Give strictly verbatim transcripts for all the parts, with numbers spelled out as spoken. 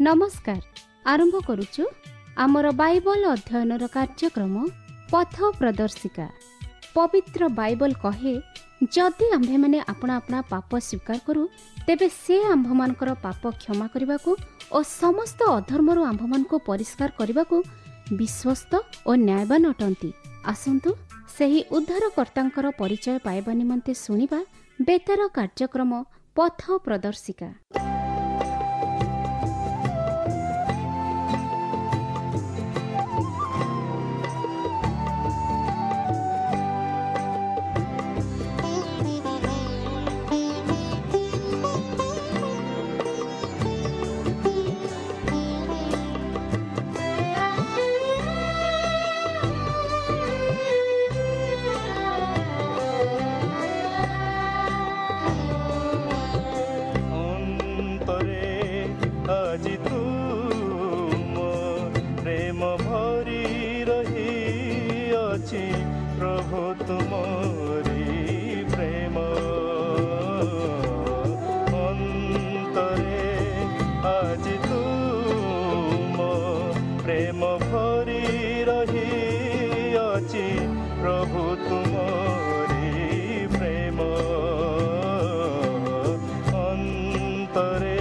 ନମସ୍କାର। ଆରମ୍ଭ କରୁଛୁ ଆମର ବାଇବଲ ଅଧ୍ୟୟନର କାର୍ଯ୍ୟକ୍ରମ ପଥ ପ୍ରଦର୍ଶିକା। ପବିତ୍ର ବାଇବଲ କହେ, ଯଦି ଆମ୍ଭେମାନେ ଆପଣା ଆପଣା ପାପ ସ୍ୱୀକାର କରୁ, ତେବେ ସେ ଆମ୍ଭମାନଙ୍କର ପାପ କ୍ଷମା କରିବାକୁ ଓ ସମସ୍ତ ଅଧର୍ମରୁ ଆମ୍ଭମାନଙ୍କୁ ପରିଷ୍କାର କରିବାକୁ ବିଶ୍ୱସ୍ତ ଓ ନ୍ୟାୟବାନ ଅଟନ୍ତି। ଆସନ୍ତୁ ସେହି ଉଦ୍ଧାରକର୍ତ୍ତାଙ୍କର ପରିଚୟ ପାଇବା ନିମନ୍ତେ ଶୁଣିବା ବେତାର କାର୍ଯ୍ୟକ୍ରମ ପଥ ପ୍ରଦର୍ଶିକା। ଅନ୍ତରେ ଆଜି ତୁମ ପ୍ରେମ ଭରି ରହିଅଛି ପ୍ରଭୁ ତୁମରି ପ୍ରେମ। ଅନ୍ତରେ ଆଜି ତୁମ ପ୍ରେମ ଭରି ରହିଅଛି ପ୍ରଭୁ ତୁମରି ପ୍ରେମ। ଅନ୍ତରେ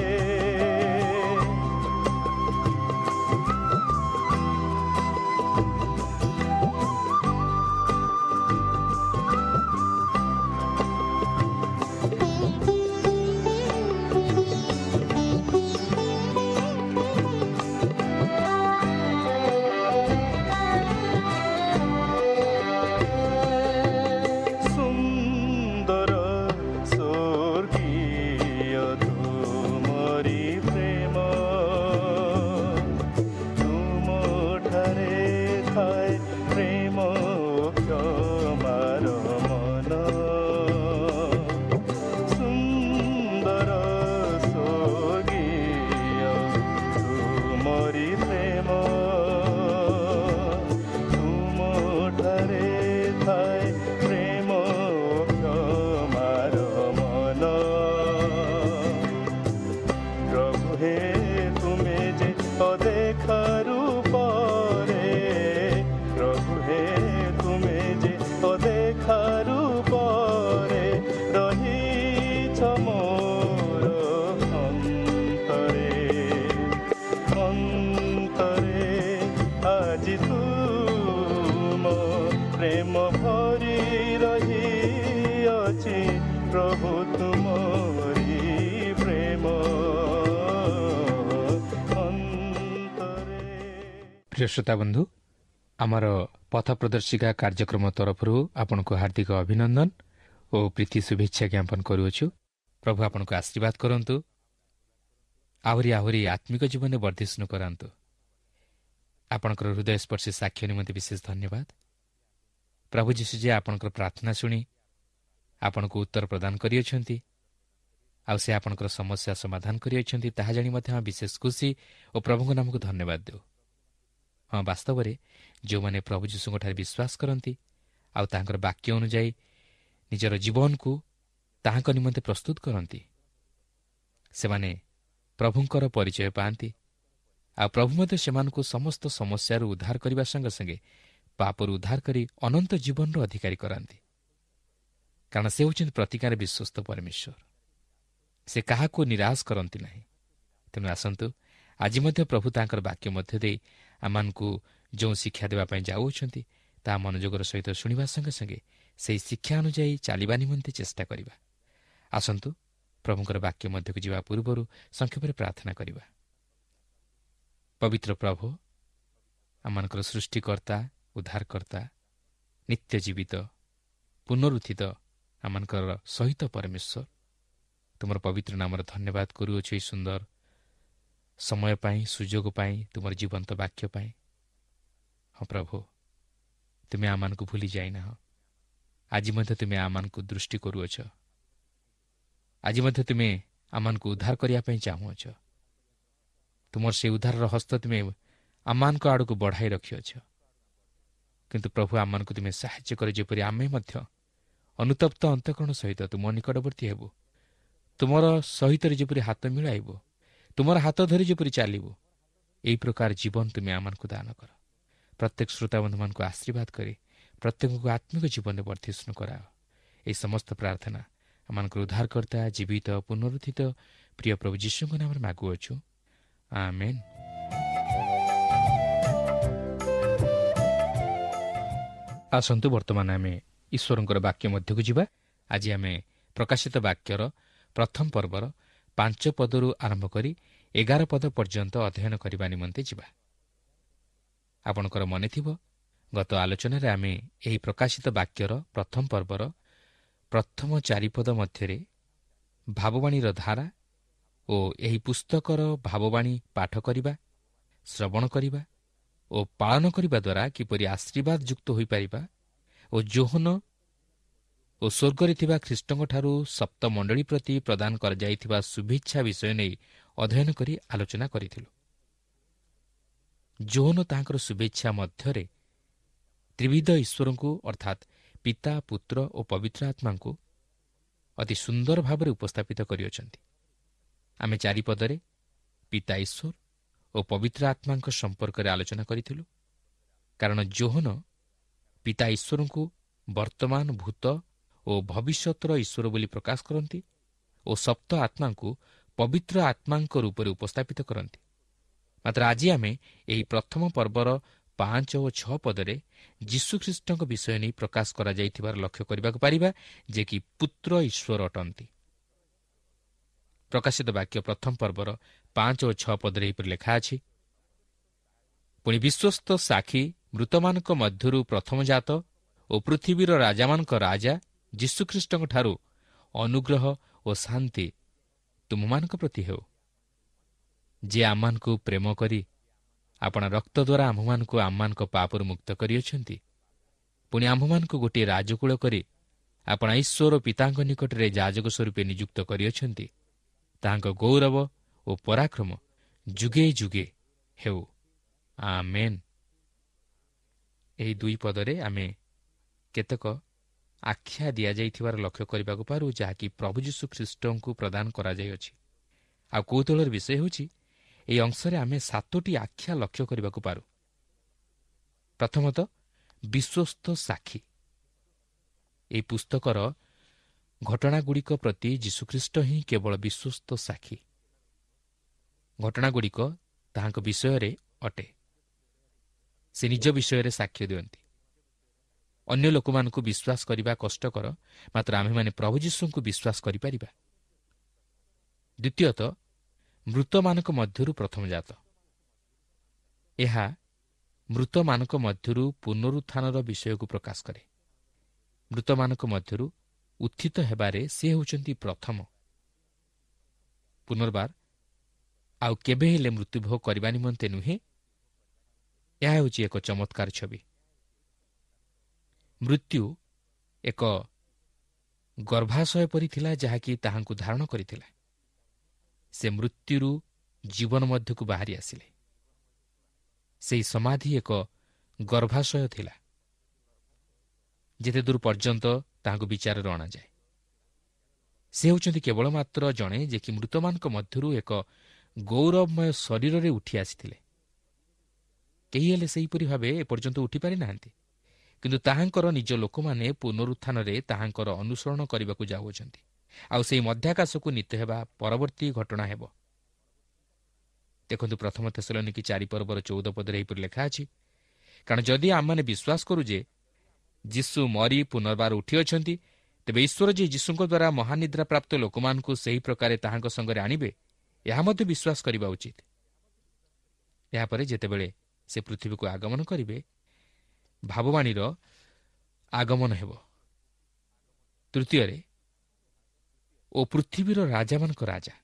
ସୁନ୍ଦର ସ୍ୱର୍ଗୀୟ ତୁମରି ପ୍ରେମ, ତୁମଠାରେ ଥାଏ ପ୍ରେମ କ୍ଷମାର ମନ। ସୁନ୍ଦର ସ୍ୱର୍ଗୀୟ ତୁମରି ପ୍ରେମ, ତୁମଠାରେ ଥାଏ ପ୍ରେମ କ୍ଷମାର ମନ। ପ୍ରଭୁ ହେ ତୁମେ ଯେ ଅଦେଖା ରୂପରେ, ପ୍ରଭୁ ହେ ତୁମେ ଯେ ଅଦେଖା ରୂପରେ ରହିଛ ମୋର ଅନ୍ତରେ। ଅନ୍ତରେ ଆଜି ତୁମ ପ୍ରେମ ଭରି ରହିଅଛି ପ୍ରଭୁ ତୁମରି ପ୍ରେମ। ଅନ୍ତରେ। ପ୍ରିୟ ଶ୍ରୋତା ବନ୍ଧୁ, ଆମର ପଥ ପ୍ରଦର୍ଶିକା କାର୍ଯ୍ୟକ୍ରମ ତରଫରୁ ଆପଣଙ୍କୁ ହାର୍ଦ୍ଦିକ ଅଭିନନ୍ଦନ ଓ ପ୍ରୀତି ଶୁଭେଚ୍ଛା ଜ୍ଞାପନ କରୁଅଛୁ। ପ୍ରଭୁ ଆପଣଙ୍କୁ ଆଶୀର୍ବାଦ କରନ୍ତୁ, ଆହୁରି ଆହୁରି ଆତ୍ମିକ ଜୀବନରେ ବର୍ଦ୍ଧିଷ୍ଣୁ କରାନ୍ତୁ। ଆପଣଙ୍କର ହୃଦୟସ୍ପର୍ଶୀ ସାକ୍ଷ୍ୟ ନିମନ୍ତେ ବିଶେଷ ଧନ୍ୟବାଦ। ପ୍ରଭୁ ଯୀଶୁ ଯେ ଆପଣଙ୍କର ପ୍ରାର୍ଥନା ଶୁଣି ଆପଣଙ୍କୁ ଉତ୍ତର ପ୍ରଦାନ କରିଅଛନ୍ତି ଆଉ ସେ ଆପଣଙ୍କର ସମସ୍ୟା ସମାଧାନ କରିଅଛନ୍ତି, ତାହା ଜାଣି ମଧ୍ୟ ଆମେ ବିଶେଷ ଖୁସି ଓ ପ୍ରଭୁଙ୍କ ନାମକୁ ଧନ୍ୟବାଦ ଦେଉ। ହଁ, ବାସ୍ତବରେ ଯେଉଁମାନେ ପ୍ରଭୁ ଯୀଶୁଙ୍କଠାରେ ବିଶ୍ୱାସ କରନ୍ତି ଆଉ ତାହାଙ୍କର ବାକ୍ୟ ଅନୁଯାୟୀ ନିଜର ଜୀବନକୁ ତାହାଙ୍କ ନିମନ୍ତେ ପ୍ରସ୍ତୁତ କରନ୍ତି, ସେମାନେ ପ୍ରଭୁଙ୍କର ପରିଚୟ ପାଆନ୍ତି ଆଉ ପ୍ରଭୁ ମଧ୍ୟ ସେମାନଙ୍କୁ ସମସ୍ତ ସମସ୍ୟାରୁ ଉଦ୍ଧାର କରିବା ସଙ୍ଗେ ସଙ୍ଗେ ପାପରୁ ଉଦ୍ଧାର କରି ଅନନ୍ତ ଜୀବନର ଅଧିକାରୀ କରାନ୍ତି। କାରଣ ସେ ହେଉଛନ୍ତି ପ୍ରତିକାର ବିଶ୍ୱସ୍ତ ପରମେଶ୍ୱର, ସେ କାହାକୁ ନିରାଶ କରନ୍ତି ନାହିଁ। ତେଣୁ ଆସନ୍ତୁ ଆଜି ମଧ୍ୟ ପ୍ରଭୁ ତାଙ୍କର ବାକ୍ୟ ମଧ୍ୟ ଦେଇ ଆମମାନଙ୍କୁ ଯେଉଁ ଶିକ୍ଷା ଦେବା ପାଇଁ ଯାଉଅଛନ୍ତି ତାହା ମନୋଯୋଗର ସହିତ ଶୁଣିବା ସଙ୍ଗେ ସଙ୍ଗେ ସେହି ଶିକ୍ଷା ଅନୁଯାୟୀ ଚାଲିବା ନିମନ୍ତେ ଚେଷ୍ଟା କରିବା। ଆସନ୍ତୁ ପ୍ରଭୁଙ୍କର ବାକ୍ୟ ମଧ୍ୟକୁ ଯିବା ପୂର୍ବରୁ ସଂକ୍ଷେପରେ ପ୍ରାର୍ଥନା କରିବା। ପବିତ୍ର ପ୍ରଭୁ, ଆମମାନଙ୍କର ସୃଷ୍ଟିକର୍ତ୍ତା, ଉଦ୍ଧାରକର୍ତ୍ତା, ନିତ୍ୟ ଜୀବିତ, ପୁନରୁତ୍ଥିତ ଆମମାନଙ୍କର ସହିତ ପରମେଶ୍ୱର, ତୁମର ପବିତ୍ର ନାମର ଧନ୍ୟବାଦ କରୁଅଛୁ ଏହି ସୁନ୍ଦର ସମୟ ପାଇଁ, ସୁଯୋଗ ପାଇଁ, ତୁମର ଜୀବନ୍ତ ବାକ୍ୟ ପାଇଁ। ହଁ ପ୍ରଭୁ, ତୁମେ ଆମମାନଙ୍କୁ ଭୁଲି ଯାଇନାହ। ଆଜି ମଧ୍ୟ ତୁମେ ଆମମାନଙ୍କୁ ଦୃଷ୍ଟି କରୁଅଛ। ଆଜି ମଧ୍ୟ ତୁମେ ଆମମାନଙ୍କୁ ଉଦ୍ଧାର କରିବା ପାଇଁ ଚାହୁଁଅଛ। ତୁମର ସେ ଉଦ୍ଧାରର ହସ୍ତ ତୁମେ ଆମମାନଙ୍କ ଆଡ଼କୁ ବଢ଼ାଇ ରଖିଅଛ। କିନ୍ତୁ ପ୍ରଭୁ, ଆମମାନଙ୍କୁ ତୁମେ ସାହାଯ୍ୟ କର ଯେପରି ଆମେ ମଧ୍ୟ ଅନୁତପ୍ତ ଅନ୍ତଃକରଣ ସହିତ ତୁମ ନିକଟବର୍ତ୍ତୀ ହେବୁ, ତୁମର ସହିତ ଯେପରି ହାତ ମିଳାଇବୁ, ତୁମର ହାତ ଧରି ଯେପରି ଚାଲିବୁ, ଏହି ପ୍ରକାର ଜୀବନ ତୁମେ ଆମମାନଙ୍କୁ ଦାନ କର। ପ୍ରତ୍ୟେକ ଶ୍ରୋତାବନ୍ଧୁମାନଙ୍କୁ ଆଶୀର୍ବାଦ କରି ପ୍ରତ୍ୟେକଙ୍କୁ ଆତ୍ମିକ ଜୀବନରେ ବର୍ଦ୍ଧିଷ୍ଣୁ କରାଅ। ଏହି ସମସ୍ତ ପ୍ରାର୍ଥନା ଆମମାନଙ୍କର ଉଦ୍ଧାରକର୍ତ୍ତା ଜୀବିତ ପୁନରୁତ୍ଥିତ ପ୍ରିୟ ପ୍ରଭୁ ଯୀଶୁଙ୍କ ନାମରେ ମାଗୁଅଛୁ, ଆମେନ୍। ଆସନ୍ତୁ ବର୍ତ୍ତମାନ ଆମେ ଈଶ୍ୱରଙ୍କର ବାକ୍ୟ ମଧ୍ୟକୁ ଯିବା। ଆଜି ଆମେ ପ୍ରକାଶିତ ବାକ୍ୟର ପ୍ରଥମ ପର୍ବର ପାଞ୍ଚ ପଦରୁ ଆରମ୍ଭ କରି ଏଗାର ପଦ ପର୍ଯ୍ୟନ୍ତ ଅଧ୍ୟୟନ କରିବା ନିମନ୍ତେ ଯିବା। ଆପଣଙ୍କର ମନେ ଥିବ, ଗତ ଆଲୋଚନାରେ ଆମେ ଏହି ପ୍ରକାଶିତ ବାକ୍ୟର ପ୍ରଥମ ପର୍ବର ପ୍ରଥମ ଚାରିପଦ ମଧ୍ୟରେ ଭାବବାଣୀର ଧାରା ଓ ଏହି ପୁସ୍ତକର ଭାବବାଣୀ ପାଠ କରିବା, ଶ୍ରବଣ କରିବା ଓ ପାଳନ କରିବା ଦ୍ୱାରା କିପରି ଆଶୀର୍ବାଦଯୁକ୍ତ ହୋଇପାରିବା ଓ ଯୋହନ ଓ ସ୍ୱର୍ଗରେ ଥିବା ଖ୍ରୀଷ୍ଟଙ୍କଠାରୁ ସପ୍ତମଣ୍ଡଳୀ ପ୍ରତି ପ୍ରଦାନ କରାଯାଇଥିବା ଶୁଭେଚ୍ଛା ବିଷୟ ନେଇ ଅଧ୍ୟୟନ କରି ଆଲୋଚନା କରିଥିଲୁ। ଯୋହନ ତାହାଙ୍କର ଶୁଭେଚ୍ଛା ମଧ୍ୟରେ ତ୍ରିବିଧ ଈଶ୍ୱରଙ୍କୁ ଅର୍ଥାତ୍ ପିତା, ପୁତ୍ର ଓ ପବିତ୍ର ଆତ୍ମାଙ୍କୁ ଅତି ସୁନ୍ଦର ଭାବରେ ଉପସ୍ଥାପିତ କରିଅଛନ୍ତି। ଆମେ ଚାରିପଦରେ ପିତା ଈଶ୍ୱର ଓ ପବିତ୍ର ଆତ୍ମାଙ୍କ ସମ୍ପର୍କରେ ଆଲୋଚନା କରିଥିଲୁ, କାରଣ ଯୋହନ ପିତା ଈଶ୍ୱରଙ୍କୁ ବର୍ତ୍ତମାନ, ଭୂତ ଓ ଭବିଷ୍ୟତର ଈଶ୍ୱର ବୋଲି ପ୍ରକାଶ କରନ୍ତି ଓ ସପ୍ତ ଆତ୍ମାଙ୍କୁ ପବିତ୍ର ଆତ୍ମାଙ୍କ ରୂପରେ ଉପସ୍ଥାପିତ କରନ୍ତି। ମାତ୍ର ଆଜି ଆମେ ଏହି ପ୍ରଥମ ପର୍ବର ପାଞ୍ଚ ଓ ଛଅ ପଦରେ ଯୀଶୁଖ୍ରୀଷ୍ଟଙ୍କ ବିଷୟ ନେଇ ପ୍ରକାଶ କରାଯାଇଥିବାର ଲକ୍ଷ୍ୟ କରିବାକୁ ପାରିବା, ଯେ କି ପୁତ୍ର ଈଶ୍ୱର ଅଟନ୍ତି। ପ୍ରକାଶିତ ବାକ୍ୟ ପ୍ରଥମ ପର୍ବର ପାଞ୍ଚ ଓ ଛଅ ପଦରେ ଏହିପରି ଲେଖା ଅଛି, ପୁଣି ବିଶ୍ୱସ୍ତ ସାକ୍ଷୀ, ମୃତମାନଙ୍କ ମଧ୍ୟରୁ ପ୍ରଥମଜାତ ଓ ପୃଥିବୀର ରାଜାମାନଙ୍କ ରାଜା ଯୀଶୁଖ୍ରୀଷ୍ଟଙ୍କଠାରୁ ଅନୁଗ୍ରହ ଓ ଶାନ୍ତି ତୁମମାନଙ୍କ ପ୍ରତି ହେଉ, ଯେ ଆମମାନଙ୍କୁ ପ୍ରେମ କରି ଆପଣା ରକ୍ତ ଦ୍ୱାରା ଆମ୍ଭମାନଙ୍କୁ ଆମମାନଙ୍କ ପାପରୁ ମୁକ୍ତ କରିଅଛନ୍ତି, ପୁଣି ଆମ୍ଭମାନଙ୍କୁ ଗୋଟିଏ ରାଜକୂଳ କରି ଆପଣା ଈଶ୍ୱର ପିତାଙ୍କ ନିକଟରେ ଯାଜକ ସ୍ୱରୂପେ ନିଯୁକ୍ତ କରିଅଛନ୍ତି, ତାହାଙ୍କ ଗୌରବ ଓ ପରାକ୍ରମ ଯୁଗେ ଯୁଗେ ହେଉ, ଆମେନ୍। ଏହି ଦୁଇ ପଦରେ ଆମେ କେତେକ ଆଖ୍ୟା ଦିଆଯାଇଥିବାର ଲକ୍ଷ୍ୟ କରିବାକୁ ପାରୁ, ଯାହାକି ପ୍ରଭୁ ଯୀଶୁ ଖ୍ରୀଷ୍ଟଙ୍କୁ ପ୍ରଦାନ କରାଯାଇଅଛି। ଆଉ କୌତୂହଳର ବିଷୟ ହେଉଛି, ଏହି ଅଂଶରେ ଆମେ ସାତୋଟି ଆଖ୍ୟା ଲକ୍ଷ୍ୟ କରିବାକୁ ପାରୁ। ପ୍ରଥମତଃ ବିଶ୍ୱସ୍ତ ସାକ୍ଷୀ। ଏହି ପୁସ୍ତକର ଘଟଣାଗୁଡ଼ିକ ପ୍ରତି ଯୀଶୁଖ୍ରୀଷ୍ଟ ହିଁ କେବଳ ବିଶ୍ୱସ୍ତ ସାକ୍ଷୀ। ଘଟଣାଗୁଡ଼ିକ ତାହାଙ୍କ ବିଷୟରେ ଅଟେ। ସେ ନିଜ ବିଷୟରେ ସାକ୍ଷ୍ୟ ଦିଅନ୍ତି। ଅନ୍ୟ ଲୋକମାନଙ୍କୁ ବିଶ୍ୱାସ କରିବା କଷ୍ଟକର, ମାତ୍ର ଆମ୍ଭେମାନେ ପ୍ରଭୁ ଯୀଶୁଙ୍କୁ ବିଶ୍ୱାସ କରିପାରିବା। ଦ୍ୱିତୀୟତଃ ମୃତମାନଙ୍କ ମଧ୍ୟରୁ ପ୍ରଥମଜାତ। ଏହା ମୃତମାନଙ୍କ ମଧ୍ୟରୁ ପୁନରୁତ୍ଥାନର ବିଷୟକୁ ପ୍ରକାଶ କରେ। ମୃତମାନଙ୍କ ମଧ୍ୟରୁ ଉତ୍ଥିତ ହେବାରେ ସେ ହେଉଛନ୍ତି ପ୍ରଥମ। ପୁନର୍ବାର ଆଉ କେବେ ହେଲେ ମୃତ୍ୟୁଭୋଗ କରିବା ନିମନ୍ତେ ନୁହେଁ। ଏହା ହେଉଛି ଏକ ଚମତ୍କାର ଛବି। ମୃତ୍ୟୁ ଏକ ଗର୍ଭାଶୟ ପରି ଥିଲା, ଯାହାକି ତାହାଙ୍କୁ ଧାରଣ କରିଥିଲା। ସେ ମୃତ୍ୟୁରୁ ଜୀବନ ମଧ୍ୟକୁ ବାହାରି ଆସିଲେ। ସେହି ସମାଧି ଏକ ଗର୍ଭାଶୟ ଥିଲା, ଯେତେ ଦୂର ପର୍ଯ୍ୟନ୍ତ ତାହାଙ୍କୁ ବିଚାରରେ ଅଣାଯାଏ। ସେ ହେଉଛନ୍ତି କେବଳ ମାତ୍ର ଜଣେ ଯେ କି ମୃତମାନଙ୍କ ମଧ୍ୟରୁ ଏକ ଗୌରବମୟ ଶରୀରରେ ଉଠି ଆସିଥିଲେ। କେହି ହେଲେ ସେହିପରି ଭାବେ ଏପର୍ଯ୍ୟନ୍ତ ଉଠିପାରିନାହାନ୍ତି, କିନ୍ତୁ ତାହାଙ୍କର ନିଜ ଲୋକମାନେ ପୁନରୁତ୍ଥାନରେ ତାହାଙ୍କର ଅନୁସରଣ କରିବାକୁ ଯାଉଅଛନ୍ତି। ଆଉ ସେହି ମଧ୍ୟାକାଶକୁ ନୀତ ହେବା ପରବର୍ତ୍ତୀ ଘଟଣା ହେବ। ଦେଖନ୍ତୁ ପ୍ରଥମ ଥେସଲନୀକି ଚାରି ପର୍ବର ଚଉଦ ପଦରେ ଏହିପରି ଲେଖା ଅଛି, କାରଣ ଯଦି ଆମମାନେ ବିଶ୍ୱାସ କରୁ ଯେ ଯୀଶୁ ମରି ପୁନର୍ବାର ଉଠିଅଛନ୍ତି, ତେବେ ଈଶ୍ୱର ଯେ ଯୀଶୁଙ୍କ ଦ୍ୱାରା ମହାନିଦ୍ରା ପ୍ରାପ୍ତ ଲୋକମାନଙ୍କୁ ସେହି ପ୍ରକାରେ ତାହାଙ୍କ ସଙ୍ଗରେ ଆଣିବେ, ଏହା ମଧ୍ୟ ବିଶ୍ୱାସ କରିବା ଉଚିତ। ଏହାପରେ ଯେତେବେଳେ ସେ ପୃଥିବୀକୁ ଆଗମନ କରିବେ, ଭାବବାଣୀର ଆଗମନ ହେବ। ତୃତୀୟରେ ଓ ପୃଥିବୀର ରାଜାମାନଙ୍କ ରାଜା।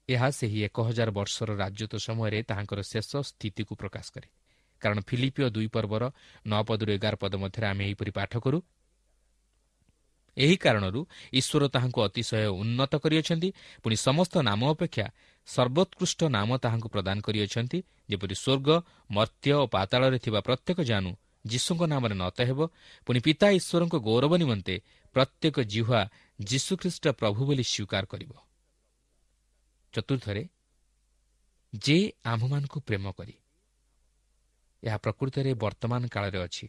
ଏହା ସେହି ଏକ ହଜାର ବର୍ଷର ରାଜତ୍ୱ ସମୟରେ ତାହାଙ୍କର ଶେଷ ସ୍ଥିତିକୁ ପ୍ରକାଶ କରେ। କାରଣ ଫିଲିପିଓ ଦୁଇ ପର୍ବର ନଅ ପଦରୁ ଏଗାର ପଦ ମଧ୍ୟରେ ଆମେ ଏହିପରି ପାଠ କରୁ, ଏହି କାରଣରୁ ଈଶ୍ୱର ତାହାଙ୍କୁ ଅତିଶୟ ଉନ୍ନତ କରିଅଛନ୍ତି, ପୁଣି ସମସ୍ତ ନାମ ଅପେକ୍ଷା ସର୍ବୋତ୍କୃଷ୍ଟ ନାମ ତାହାଙ୍କୁ ପ୍ରଦାନ କରିଅଛନ୍ତି, ଯେପରି ସ୍ୱର୍ଗ, ମର୍ତ୍ତ୍ୟ ଓ ପାତାଳରେ ଥିବା ପ୍ରତ୍ୟେକ ଜାନୁ ଯୀଶୁଙ୍କ ନାମରେ ନତ ହେବ, ପୁଣି ପିତା ଈଶ୍ୱରଙ୍କ ଗୌରବ ନିମନ୍ତେ ପ୍ରତ୍ୟେକ ଜିହ୍ୱା ଯୀଶୁଖ୍ରୀଷ୍ଟ ପ୍ରଭୁ ବୋଲି ସ୍ୱୀକାର କରିବ। ଚତୁର୍ଥରେ, ଯେ ଆମ୍ଭମାନଙ୍କୁ ପ୍ରେମ କରି। ଏହା ପ୍ରକୃତରେ ବର୍ତ୍ତମାନ କାଳରେ ଅଛି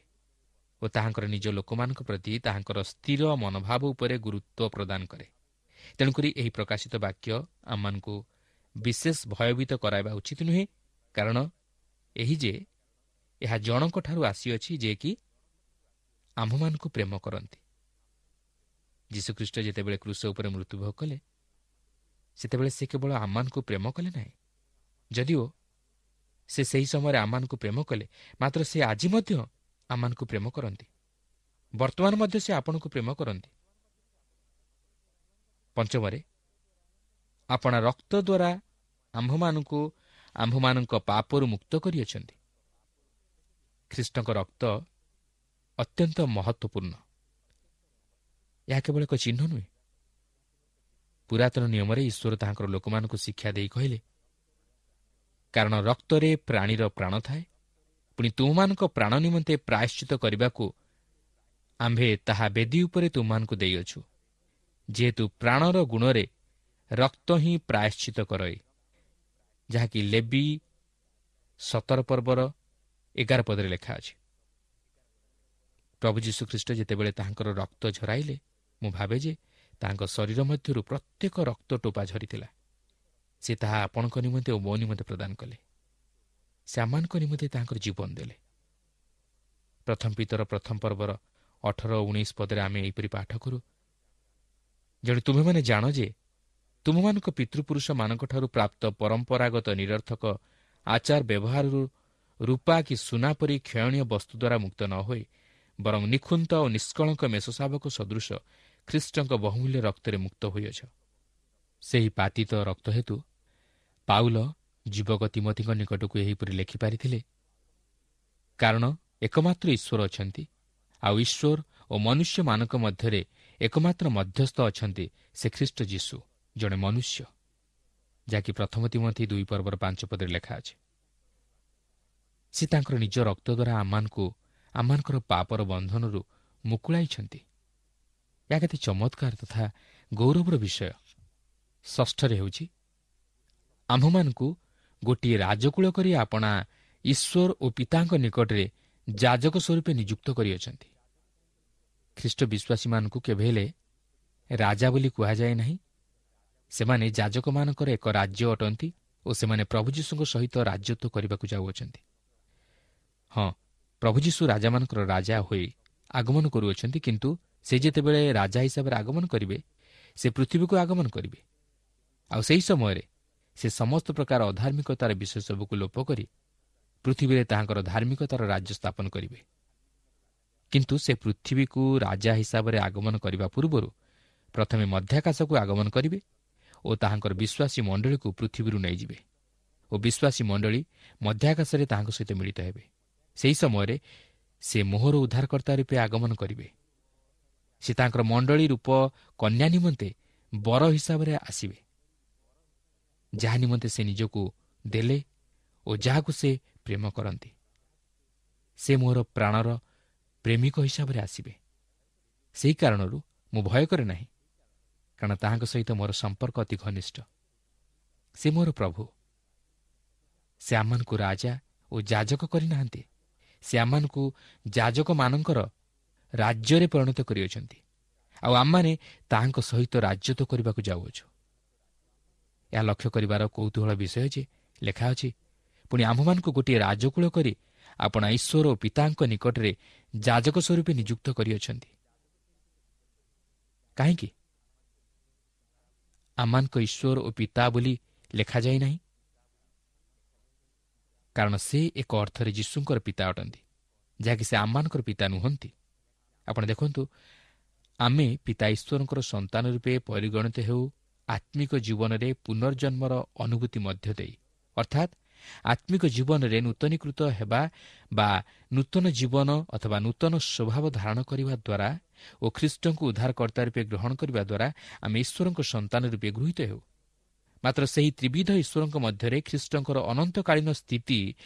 ଓ ତାହାଙ୍କର ନିଜ ଲୋକମାନଙ୍କ ପ୍ରତି ତାହାଙ୍କର ସ୍ଥିର ମନୋଭାବ ଉପରେ ଗୁରୁତ୍ୱ ପ୍ରଦାନ କରେ। ତେଣୁକରି ଏହି ପ୍ରକାଶିତ ବାକ୍ୟ ଆମମାନଙ୍କୁ ବିଶେଷ ଭୟଭୀତ କରାଇବା ଉଚିତ ନୁହେଁ, କାରଣ ଏହି ଯେ ଏହା ଜଣଙ୍କଠାରୁ ଆସିଅଛି ଯେ କି ଆମ୍ଭମାନଙ୍କୁ ପ୍ରେମ କରନ୍ତି। ଯୀଶୁଖ୍ରୀଷ୍ଟ ଯେତେବେଳେ କ୍ରୁଶ ଉପରେ ମୃତ୍ୟୁଭୋଗ କଲେ, ସେତେବେଳେ ସେ କେବଳ ଆମମାନଙ୍କୁ ପ୍ରେମ କଲେ ନାହିଁ, ଯଦିଓ ସେ ସେହି ସମୟରେ ଆମମାନଙ୍କୁ ପ୍ରେମ କଲେ, ମାତ୍ର ସେ ଆଜି ମଧ୍ୟ ଆମମାନଙ୍କୁ ପ୍ରେମ କରନ୍ତି। ବର୍ତ୍ତମାନ ମଧ୍ୟ ସେ ଆପଣଙ୍କୁ ପ୍ରେମ କରନ୍ତି। ପଞ୍ଚମରେ, ଆପଣା ରକ୍ତ ଦ୍ୱାରା ଆମ୍ଭମାନଙ୍କୁ ଆମ୍ଭମାନଙ୍କ ପାପରୁ ମୁକ୍ତ କରିଅଛନ୍ତି। ଖ୍ରୀଷ୍ଟଙ୍କ ରକ୍ତ ଅତ୍ୟନ୍ତ ମହତ୍ତ୍ୱପୂର୍ଣ୍ଣ। ଏହା କେବଳ ଏକ ଚିହ୍ନ ନୁହେଁ। ପୁରାତନ ନିୟମରେ ଈଶ୍ୱର ତାହାଙ୍କର ଲୋକମାନଙ୍କୁ ଶିକ୍ଷା ଦେଇ କହିଲେ, କାରଣ ରକ୍ତରେ ପ୍ରାଣୀର ପ୍ରାଣ ଥାଏ, ପୁଣି ତୁମମାନଙ୍କ ପ୍ରାଣ ନିମନ୍ତେ ପ୍ରାୟଶ୍ଚିତ କରିବାକୁ ଆମ୍ଭେ ତାହା ବେଦୀ ଉପରେ ତୁମମାନଙ୍କୁ ଦେଇଅଛୁ, ଯେହେତୁ ପ୍ରାଣର ଗୁଣରେ ରକ୍ତ ହିଁ ପ୍ରାୟଶ୍ଚିତ କରଇ, ଯାହାକି ଲେବି ସତର ପର୍ବର ଏଗାର ପଦରେ ଲେଖା ଅଛି। ପ୍ରଭୁ ଯୀଶୁଖ୍ରୀଷ୍ଟ ଯେତେବେଳେ ତାହାଙ୍କର ରକ୍ତ ଝରାଇଲେ, ମୁଁ ଭାବେ ଯେ ତାହାଙ୍କ ଶରୀର ମଧ୍ୟରୁ ପ୍ରତ୍ୟେକ ରକ୍ତ ଟୋପା ଝରିଥିଲା। ସେ ତାହା ଆପଣଙ୍କ ନିମନ୍ତେ ଓ ମୋ ନିମନ୍ତେ ପ୍ରଦାନ କଲେ। ସେ ଆମମାନଙ୍କ ନିମନ୍ତେ ତାହାଙ୍କର ଜୀବନ ଦେଲେ। ପ୍ରଥମ ପିତର ପ୍ରଥମ ପର୍ବର ଅଠର ଉଣେଇଶ ପଦରେ ଆମେ ଏହିପରି ପାଠ କରୁ, ଯେଣୁ ତୁମେମାନେ ଜାଣ ଯେ ତୁମମାନଙ୍କ ପିତୃପୁରୁଷମାନଙ୍କଠାରୁ ପ୍ରାପ୍ତ ପରମ୍ପରାଗତ ନିରର୍ଥକ ଆଚାର ବ୍ୟବହାରରୁ ରୂପା କି ସୁନା ପରି କ୍ଷୟଣୀୟ ବସ୍ତୁ ଦ୍ୱାରା ମୁକ୍ତ ନ ହୋଇ ବରଂ ନିଖୁନ୍ତ ଓ ନିଷ୍କଳଙ୍କ ମେଷଶାବକ ସଦୃଶ ଖ୍ରୀଷ୍ଟଙ୍କ ବହୁମୂଲ୍ୟ ରକ୍ତରେ ମୁକ୍ତ ହୋଇଅଛ। ସେହି ପାତିତ ରକ୍ତ ହେତୁ ପାଉଲ ଯୁବକ ତିମୋଥିଙ୍କ ନିକଟକୁ ଏହିପରି ଲେଖିପାରିଥିଲେ, କାରଣ ଏକମାତ୍ର ଈଶ୍ୱର ଅଛନ୍ତି, ଆଉ ଈଶ୍ୱର ଓ ମନୁଷ୍ୟମାନଙ୍କ ମଧ୍ୟରେ ଏକମାତ୍ର ମଧ୍ୟସ୍ଥ ଅଛନ୍ତି, ସେ ଖ୍ରୀଷ୍ଟ ଯୀଶୁ, ଜଣେ ମନୁଷ୍ୟ, ଯାହାକି ପ୍ରଥମ ତିମୋଥି ଦୁଇ ପର୍ବର ପାଞ୍ଚ ପଦରେ ଲେଖା ଅଛି। ସେ ତାଙ୍କର ନିଜ ରକ୍ତ ଦ୍ୱାରା ଆମମାନଙ୍କୁ ଆମମାନଙ୍କର ପାପର ବନ୍ଧନରୁ ମୁକୁଳାଇଛନ୍ତି। ଏହା କେତେ ଚମତ୍କାର ତଥା ଗୌରବର ବିଷୟ। ଷଷ୍ଠରେ ହେଉଛି, ଆମ୍ଭମାନଙ୍କୁ ଗୋଟିଏ ରାଜକୂଳ କରି ଆପଣା ଈଶ୍ୱର ଓ ପିତାଙ୍କ ନିକଟରେ ଯାଜକ ସ୍ୱରୂପେ ନିଯୁକ୍ତ କରିଅଛନ୍ତି। ଖ୍ରୀଷ୍ଟ ବିଶ୍ୱାସୀମାନଙ୍କୁ କେବେ ହେଲେ ରାଜା ବୋଲି କୁହାଯାଏ ନାହିଁ। ସେମାନେ ଯାଜକମାନଙ୍କର ଏକ ରାଜ୍ୟ ଅଟନ୍ତି ଓ ସେମାନେ ପ୍ରଭୁ ଯୀଶୁଙ୍କ ସହିତ ରାଜତ୍ୱ କରିବାକୁ ଯାଉଅଛନ୍ତି। ହଁ, ପ୍ରଭୁ ଯୀଶୁ ରାଜାମାନଙ୍କର ରାଜା ହୋଇ ଆଗମନ କରୁଅଛନ୍ତି, କିନ୍ତୁ ସେ ଯେତେବେଳେ ରାଜା ହିସାବରେ ଆଗମନ କରିବେ, ସେ ପୃଥିବୀକୁ ଆଗମନ କରିବେ। ଆଉ ସେହି ସମୟରେ ସେ ସମସ୍ତ ପ୍ରକାର ଅଧାର୍ମିକତାର ବିଷୟ ସବୁକୁ ଲୋପ କରି ପୃଥିବୀରେ ତାହାଙ୍କର ଧାର୍ମିକତାର ରାଜ୍ୟ ସ୍ଥାପନ କରିବେ। କିନ୍ତୁ ସେ ପୃଥିବୀକୁ ରାଜା ହିସାବରେ ଆଗମନ କରିବା ପୂର୍ବରୁ ପ୍ରଥମେ ମଧ୍ୟାକାଶକୁ ଆଗମନ କରିବେ ଓ ତାହାଙ୍କର ବିଶ୍ୱାସୀ ମଣ୍ଡଳୀକୁ ପୃଥିବୀରୁ ନେଇଯିବେ ଓ ବିଶ୍ୱାସୀ ମଣ୍ଡଳୀ ମଧ୍ୟାକାଶରେ ତାହାଙ୍କ ସହିତ ମିଳିତ ହେବେ। ସେହି ସମୟରେ ସେ ମୋହର ଉଦ୍ଧାରକର୍ତ୍ତା ରୂପେ ଆଗମନ କରିବେ। ସେ ତାଙ୍କର ମଣ୍ଡଳୀ ରୂପ କନ୍ୟା ନିମନ୍ତେ ବର ହିସାବରେ ଆସିବେ, ଯାହା ନିମନ୍ତେ ସେ ନିଜକୁ ଦେଲେ ଓ ଯାହାକୁ ସେ ପ୍ରେମ କରନ୍ତି। ସେ ମୋର ପ୍ରାଣର ପ୍ରେମିକ ହିସାବରେ ଆସିବେ। ସେହି କାରଣରୁ ମୁଁ ଭୟ କରେ ନାହିଁ, କାରଣ ତାହାଙ୍କ ସହିତ ମୋର ସମ୍ପର୍କ ଅତି ଘନିଷ୍ଠ। ସେ ମୋର ପ୍ରଭୁ। ସେ ଆମମାନଙ୍କୁ ରାଜା ଓ ଯାଜକ କରିନାହାନ୍ତି, ସେ ଆମମାନଙ୍କୁ ଯାଜକମାନଙ୍କର ରାଜ୍ୟରେ ପରିଣତ କରିଅଛନ୍ତି, ଆଉ ଆମମାନେ ତାହାଙ୍କ ସହିତ ରାଜତ୍ୱ କରିବାକୁ ଯାଉଅଛୁ। ଏହା ଲକ୍ଷ୍ୟ କରିବାର କୌତୂହଳ ବିଷୟ ଯେ ଲେଖା ଅଛି, ପୁଣି ଆମ୍ଭମାନଙ୍କୁ ଗୋଟିଏ ରାଜକୂଳ କରି ଆପଣା ଈଶ୍ୱର ଓ ପିତାଙ୍କ ନିକଟରେ ଯାଜକ ସ୍ୱରୂପେ ନିଯୁକ୍ତ କରିଅଛନ୍ତି। କାହିଁକି ଆମମାନଙ୍କ ଈଶ୍ୱର ଓ ପିତା ବୋଲି ଲେଖାଯାଇ ନାହିଁ? କାରଣ ସେ ଏକ ଅର୍ଥରେ ଯୀଶୁଙ୍କର ପିତା ଅଟନ୍ତି, ଯାହାକି ସେ ଆମମାନଙ୍କର ପିତା ନୁହନ୍ତି। ଆପଣ ଦେଖନ୍ତୁ, ଆମେ ପିତା ଈଶ୍ୱରଙ୍କର ସନ୍ତାନ ରୂପେ ପରିଗଣିତ ହେଉ ଆତ୍ମିକ ଜୀବନରେ ପୁନର୍ଜନ୍ମର ଅନୁଭୂତି ମଧ୍ୟ ଦେଇ, ଅର୍ଥାତ୍ ଆତ୍ମିକ ଜୀବନରେ ନୂତନୀକୃତ ହେବା ବା ନୂତନ ଜୀବନ ଅଥବା ନୂତନ ସ୍ୱଭାବ ଧାରଣ କରିବା ଦ୍ୱାରା ଓ ଖ୍ରୀଷ୍ଟଙ୍କୁ ଉଦ୍ଧାରକର୍ତ୍ତା ରୂପେ ଗ୍ରହଣ କରିବା ଦ୍ୱାରା ଆମେ ଈଶ୍ୱରଙ୍କ ସନ୍ତାନ ରୂପେ ଗୃହୀତ ହେଉ। ମାତ୍ର ସେହି ତ୍ରିବିଧ ଈଶ୍ୱରଙ୍କ ମଧ୍ୟରେ ଖ୍ରୀଷ୍ଟଙ୍କର ଅନନ୍ତକାଳୀନ ସ୍ଥିତି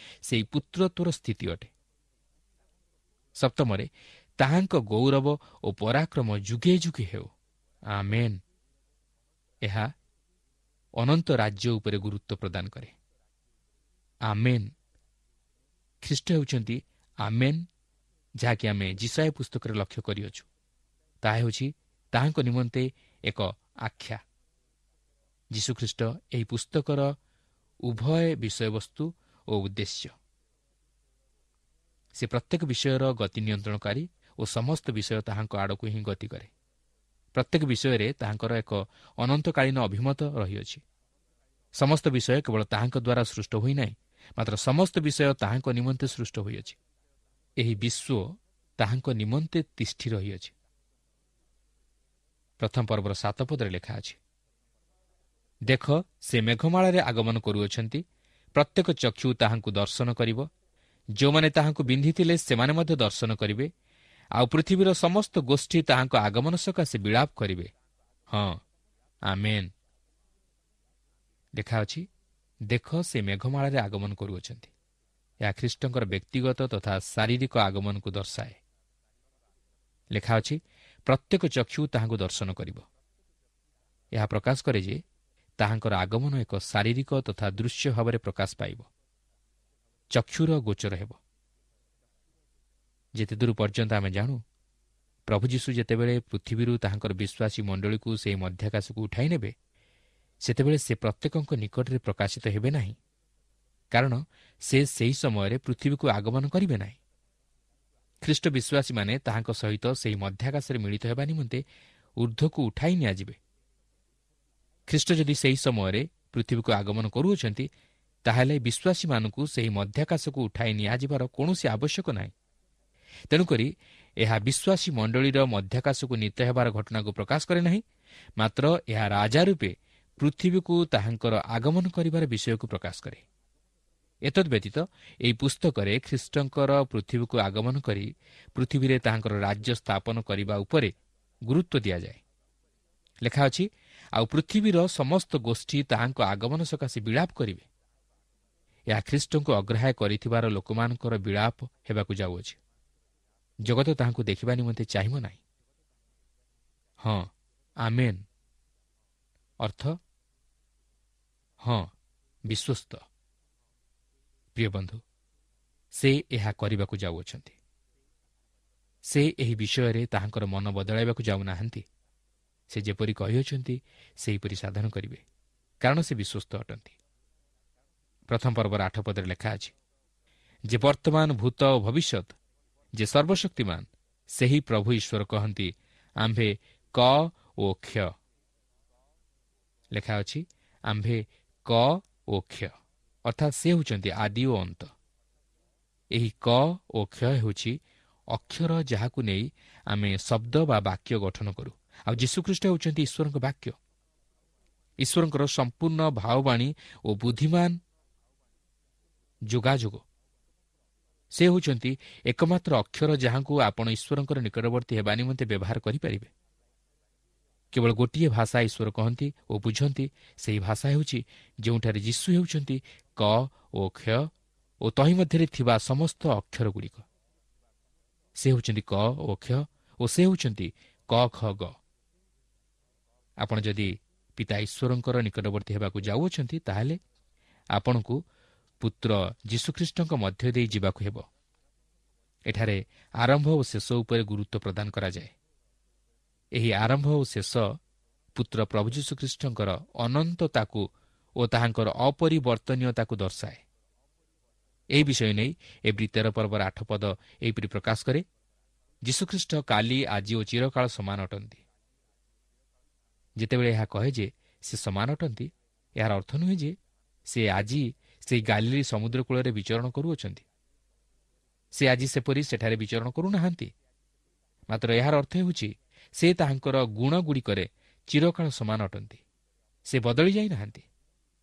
ସେହି ପୁତ୍ରତ୍ୱର ସ୍ଥିତି ଅଟେ। ସପ୍ତମରେ, ତାହାଙ୍କ ଗୌରବ ଓ ପରାକ୍ରମ ଯୁଗେ ଯୁଗେ ହେଉ, ଆମେନ୍। ଏହା ଅନନ୍ତ ରାଜ୍ୟ ଉପରେ ଗୁରୁତ୍ୱ ପ୍ରଦାନ କରେ। ଆମେନ୍। ଖ୍ରୀଷ୍ଟ ହେଉଛନ୍ତି ଆମେନ୍, ଯାହାକି ଆମେ ଯିଶାଇୟ ପୁସ୍ତକରେ ଲକ୍ଷ୍ୟ କରିଅଛୁ। ତାହା ହେଉଛି ତାହାଙ୍କ ନିମନ୍ତେ ଏକ ଆଖ୍ୟା। ଯୀଶୁଖ୍ରୀଷ୍ଟ ଏହି ପୁସ୍ତକର ଉଭୟ ବିଷୟବସ୍ତୁ ଓ ଉଦ୍ଦେଶ୍ୟ। ସେ ପ୍ରତ୍ୟେକ ବିଷୟର ଗତି ନିୟନ୍ତ୍ରଣକାରୀ ଓ ସମସ୍ତ ବିଷୟ ତାହାଙ୍କ ଆଡ଼କୁ ହିଁ ଗତି କରେ। ପ୍ରତ୍ୟେକ ବିଷୟରେ ତାହାଙ୍କର ଏକ ଅନନ୍ତକାଳୀନ ଅଭିମତ ରହିଅଛି। ସମସ୍ତ ବିଷୟ କେବଳ ତାହାଙ୍କ ଦ୍ୱାରା ସୃଷ୍ଟ ହୋଇନାହିଁ, ମାତ୍ର ସମସ୍ତ ବିଷୟ ତାହାଙ୍କ ନିମନ୍ତେ ସୃଷ୍ଟ ହୋଇଅଛି। ଏହି ବିଶ୍ୱ ତାହାଙ୍କ ନିମନ୍ତେ ତିଷ୍ଠି ରହିଅଛି। ପ୍ରଥମ ପର୍ବର ସାତ ପଦରେ ଲେଖା ଅଛି, ଦେଖ, ସେ ମେଘମାଳାରେ ଆଗମନ କରୁଅଛନ୍ତି, ପ୍ରତ୍ୟେକ ଚକ୍ଷୁ ତାହାଙ୍କୁ ଦର୍ଶନ କରିବ, ଯେଉଁମାନେ ତାହାଙ୍କୁ ବିନ୍ଧିଥିଲେ ସେମାନେ ମଧ୍ୟ ଦର୍ଶନ କରିବେ, ଆଉ ପୃଥିବୀର ସମସ୍ତ ଗୋଷ୍ଠୀ ତାହାଙ୍କ ଆଗମନ ସକାଶେ ବିଳାପ କରିବେ। ହଁ, ଆମେନ୍। ଲେଖା ଅଛି, ଦେଖ, ସେ ମେଘମାଳାରେ ଆଗମନ କରୁଅଛନ୍ତି। ଏହା ଖ୍ରୀଷ୍ଟଙ୍କର ବ୍ୟକ୍ତିଗତ ତଥା ଶାରୀରିକ ଆଗମନକୁ ଦର୍ଶାଏ। ଲେଖା ଅଛି, ପ୍ରତ୍ୟେକ ଚକ୍ଷୁ ତାହାଙ୍କୁ ଦର୍ଶନ କରିବ। ଏହା ପ୍ରକାଶ କରେ ଯେ ତାହାଙ୍କର ଆଗମନ ଏକ ଶାରୀରିକ ତଥା ଦୃଶ୍ୟ ଭାବରେ ପ୍ରକାଶ ପାଇବ, ଚକ୍ଷୁର ଗୋଚର ହେବ। ଯେତେଦୂର ପର୍ଯ୍ୟନ୍ତ ଆମେ ଜାଣୁ, ପ୍ରଭୁ ଯୀଶୁ ଯେତେବେଳେ ପୃଥିବୀରୁ ତାହାଙ୍କର ବିଶ୍ୱାସୀ ମଣ୍ଡଳୀକୁ ସେହି ମଧ୍ୟାକାଶକୁ ଉଠାଇ ନେବେ, ସେତେବେଳେ ସେ ପ୍ରତ୍ୟେକଙ୍କ ନିକଟରେ ପ୍ରକାଶିତ ହେବେ ନାହିଁ, କାରଣ ସେ ସେହି ସମୟରେ ପୃଥିବୀକୁ ଆଗମନ କରିବେ ନାହିଁ। ଖ୍ରୀଷ୍ଟ ବିଶ୍ୱାସୀମାନେ ତାହାଙ୍କ ସହିତ ସେହି ମଧ୍ୟାକାଶରେ ମିଳିତ ହେବା ନିମନ୍ତେ ଉର୍ଦ୍ଧ୍ୱକୁ ଉଠାଇ ନିଆଯିବେ। ଖ୍ରୀଷ୍ଟ ଯଦି ସେହି ସମୟରେ ପୃଥିବୀକୁ ଆଗମନ କରୁଅଛନ୍ତି, ତାହେଲେ ବିଶ୍ୱାସୀମାନଙ୍କୁ ସେହି ମଧ୍ୟାକାଶକୁ ଉଠାଇ ନିଆଯିବାର କୌଣସି ଆବଶ୍ୟକ ନାହିଁ। ତେଣୁକରି ଏହା ବିଶ୍ୱାସୀ ମଣ୍ଡଳୀର ମଧ୍ୟାକାଶକୁ ନୀତ ହେବାର ଘଟଣାକୁ ପ୍ରକାଶ କରେ ନାହିଁ, ମାତ୍ର ଏହା ରାଜା ରୂପେ ପୃଥିବୀକୁ ତାହାଙ୍କର ଆଗମନ କରିବାର ବିଷୟକୁ ପ୍ରକାଶ କରେ। ଏତଦ୍ ବ୍ୟତୀତ ଏହି ପୁସ୍ତକରେ ଖ୍ରୀଷ୍ଟଙ୍କର ପୃଥିବୀକୁ ଆଗମନ କରି ପୃଥିବୀରେ ତାହାଙ୍କର ରାଜ୍ୟ ସ୍ଥାପନ କରିବା ଉପରେ ଗୁରୁତ୍ୱ ଦିଆଯାଏ। ଲେଖା ଅଛି, ଆଉ ପୃଥିବୀର ସମସ୍ତ ଗୋଷ୍ଠୀ ତାହାଙ୍କ ଆଗମନ ସକାଶେ ବିଳାପ କରିବେ। ଏହା ଖ୍ରୀଷ୍ଟଙ୍କୁ ଅଗ୍ରାହ୍ୟ କରିଥିବାର ଲୋକମାନଙ୍କର ବିଳାପ ହେବାକୁ ଯାଉଅଛି। ଜଗତ ତାହାଙ୍କୁ ଦେଖିବା ନିମନ୍ତେ ଚାହିଁବ ନାହିଁ। ହଁ, ଆମେନ୍ ଅର୍ଥ ହଁ, ବିଶ୍ୱସ୍ତ। ପ୍ରିୟ ବନ୍ଧୁ, ସେ ଏହା କରିବାକୁ ଯାଉଅଛନ୍ତି। ସେ ଏହି ବିଷୟରେ ତାହାଙ୍କର ମନ ବଦଳାଇବାକୁ ଯାଉନାହାନ୍ତି। ସେ ଯେପରି କହିଅଛନ୍ତି ସେହିପରି ସାଧନ କରିବେ, କାରଣ ସେ ବିଶ୍ୱସ୍ତ ଅଟନ୍ତି। ପ୍ରଥମ ପର୍ବର ଆଠ ପଦରେ ଲେଖା ଅଛି, ଯେ ବର୍ତ୍ତମାନ, ଭୂତ ଓ ଭବିଷ୍ୟତ, ଯେ ସର୍ବଶକ୍ତିମାନ, ସେହି ପ୍ରଭୁ ଈଶ୍ୱର କହନ୍ତି, ଆମ୍ଭେ କ ଓ କ୍ଷ। ଲେଖା ଅଛି, ଆମ୍ଭେ କ ଓ କ୍ଷ, ଅର୍ଥାତ୍ ସେ ହେଉଛନ୍ତି ଆଦି ଓ ଅନ୍ତ। ଏହି କ ଓ କ୍ଷ ହେଉଛି ଅକ୍ଷର ଯାହାକୁ ନେଇ ଆମେ ଶବ୍ଦ ବା ବାକ୍ୟ ଗଠନ କରୁ। ଆଉ ଯୀଶୁଖ୍ରୀଷ୍ଟ ହେଉଛନ୍ତି ଈଶ୍ୱରଙ୍କ ବାକ୍ୟ, ଈଶ୍ୱରଙ୍କର ସମ୍ପୂର୍ଣ୍ଣ ଭାବବାଣୀ ଓ ବୁଦ୍ଧିମାନ ଯୋଗାଯୋଗ। ସେ ହେଉଛନ୍ତି ଏକମାତ୍ର ଅକ୍ଷର ଯାହାଙ୍କୁ ଆପଣ ଈଶ୍ୱରଙ୍କର ନିକଟବର୍ତ୍ତୀ ହେବା ନିମନ୍ତେ ବ୍ୟବହାର କରିପାରିବେ। କେବଳ ଗୋଟିଏ ଭାଷା ଈଶ୍ୱର କହନ୍ତି ଓ ବୁଝନ୍ତି, ସେହି ଭାଷା ହେଉଛି ଯେଉଁଠାରେ ଯୀଶୁ ହେଉଛନ୍ତି କ ଓ କ୍ଷ ଓ ତହିଁ ମଧ୍ୟରେ ଥିବା ସମସ୍ତ ଅକ୍ଷରଗୁଡ଼ିକ। ସେ ହେଉଛନ୍ତି କ ଓ କ୍ଷ ଓ ସେ ହେଉଛନ୍ତି କ ଖ ଗ। ଆପଣ ଯଦି ପିତା ଈଶ୍ୱରଙ୍କର ନିକଟବର୍ତ୍ତୀ ହେବାକୁ ଯାଉଅଛନ୍ତି, ତାହେଲେ ଆପଣଙ୍କୁ ପୁତ୍ର ଯୀଶୁଖ୍ରୀଷ୍ଟଙ୍କ ମଧ୍ୟ ଦେଇ ଯିବାକୁ ହେବ। ଏଠାରେ ଆରମ୍ଭ ଓ ଶେଷ ଉପରେ ଗୁରୁତ୍ୱ ପ୍ରଦାନ କରାଯାଏ। ଏହି ଆରମ୍ଭ ଓ ଶେଷ ପୁତ୍ର ପ୍ରଭୁ ଯୀଶୁଖ୍ରୀଷ୍ଟଙ୍କର ଅନନ୍ତତାକୁ ଓ ତାହାଙ୍କର ଅପରିବର୍ତ୍ତନୀୟତାକୁ ଦର୍ଶାଏ। ଏହି ବିଷୟ ନେଇ ଏବ୍ରୀ ତେର ପର୍ବର ଆଠ ପଦ ଏହିପରି ପ୍ରକାଶ କରେ, ଯୀଶୁଖ୍ରୀଷ୍ଟ କାଲି, ଆଜି ଓ ଚିରକାଳ ସମାନ ଅଟନ୍ତି। ଯେତେବେଳେ ଏହା କହେ ଯେ ସେ ସମାନ ଅଟନ୍ତି, ଏହାର ଅର୍ଥ ନୁହେଁ ଯେ ସେ ଆଜି ସେହି ଗାଲିଲି ସମୁଦ୍ର କୂଳରେ ବିଚରଣ କରୁଅଛନ୍ତି। ସେ ଆଜି ସେପରି ସେଠାରେ ବିଚରଣ କରୁନାହାନ୍ତି। ମାତ୍ର ଏହାର ଅର୍ଥ ହେଉଛି ସେ ତାହାଙ୍କର ଗୁଣଗୁଡ଼ିକରେ ଚିରକାଳ ସମାନ ଅଟନ୍ତି। ସେ ବଦଳି ଯାଇନାହାନ୍ତି।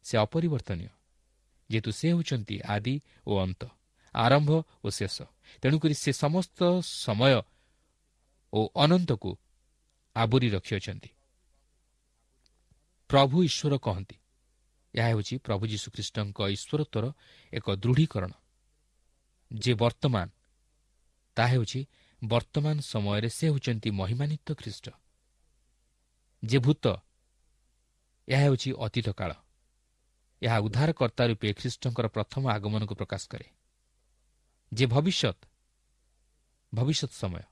ସେ ଅପରିବର୍ତ୍ତନୀୟ, ଯେହେତୁ ସେ ହେଉଛନ୍ତି ଆଦି ଓ ଅନ୍ତ, ଆରମ୍ଭ ଓ ଶେଷ। ତେଣୁକରି ସେ ସମସ୍ତ ସମୟ ଓ ଅନନ୍ତକୁ ଆବୋରି ରଖିଅଛନ୍ତି। ପ୍ରଭୁ ଈଶ୍ୱର କହନ୍ତି, ଏହା ହେଉଛି ପ୍ରଭୁ ଯୀଶୁଖ୍ରୀଷ୍ଟଙ୍କ ଈଶ୍ୱରତ୍ୱର ଏକ ଦୃଢ଼ୀକରଣ। ଯେ ବର୍ତ୍ତମାନ, ତାହା ହେଉଛି ବର୍ତ୍ତମାନ ସମୟରେ ସେ ହେଉଛନ୍ତି ମହିମାନ୍ୱିତ ଖ୍ରୀଷ୍ଟ। ଯେ ଭୂତ, ଏହା ହେଉଛି ଅତୀତ କାଳ। ଏହା ଉଦ୍ଧାରକର୍ତ୍ତା ରୂପେ ଖ୍ରୀଷ୍ଟଙ୍କର ପ୍ରଥମ ଆଗମନକୁ ପ୍ରକାଶ କରେ, ଯେ ଭବିଷ୍ୟତ ଭବିଷ୍ୟତ ସମୟ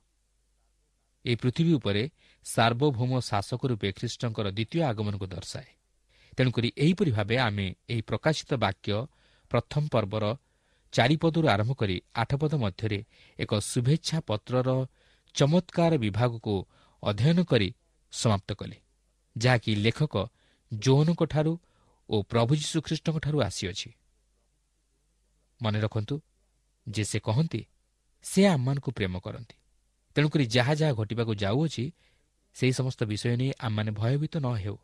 ଏହି ପୃଥିବୀ ଉପରେ ସାର୍ବଭୌମ ଶାସକ ରୂପେ ଖ୍ରୀଷ୍ଟଙ୍କର ଦ୍ୱିତୀୟ ଆଗମନକୁ ଦର୍ଶାଏ। ତେଣୁକରି ଏହିପରି ଭାବେ ଆମେ ଏହି ପ୍ରକାଶିତ ବାକ୍ୟ ପ୍ରଥମ ପର୍ବର ଚାରିପଦରୁ ଆରମ୍ଭ କରି ଆଠ ପଦ ମଧ୍ୟରେ ଏକ ଶୁଭେଚ୍ଛା ପତ୍ରର ଚମତ୍କାର ବିଭାଗକୁ ଅଧ୍ୟୟନ କରି ସମାପ୍ତ କଲେ, ଯାହାକି ଲେଖକ ଯୋହନଙ୍କଠାରୁ ଓ ପ୍ରଭୁ ଯୀଶୁଖ୍ରୀଷ୍ଟଙ୍କଠାରୁ ଆସିଅଛି। ମନେ ରଖନ୍ତୁ ଯେ ସେ କହନ୍ତି ସେ ଆମମାନଙ୍କୁ ପ୍ରେମ କରନ୍ତି। ତେଣୁକରି ଯାହା ଯାହା ଘଟିବାକୁ ଯାଉଅଛି ସେହି ସମସ୍ତ ବିଷୟ ନେଇ ଆମମାନେ ଭୟଭୀତ ନ ହେଉ।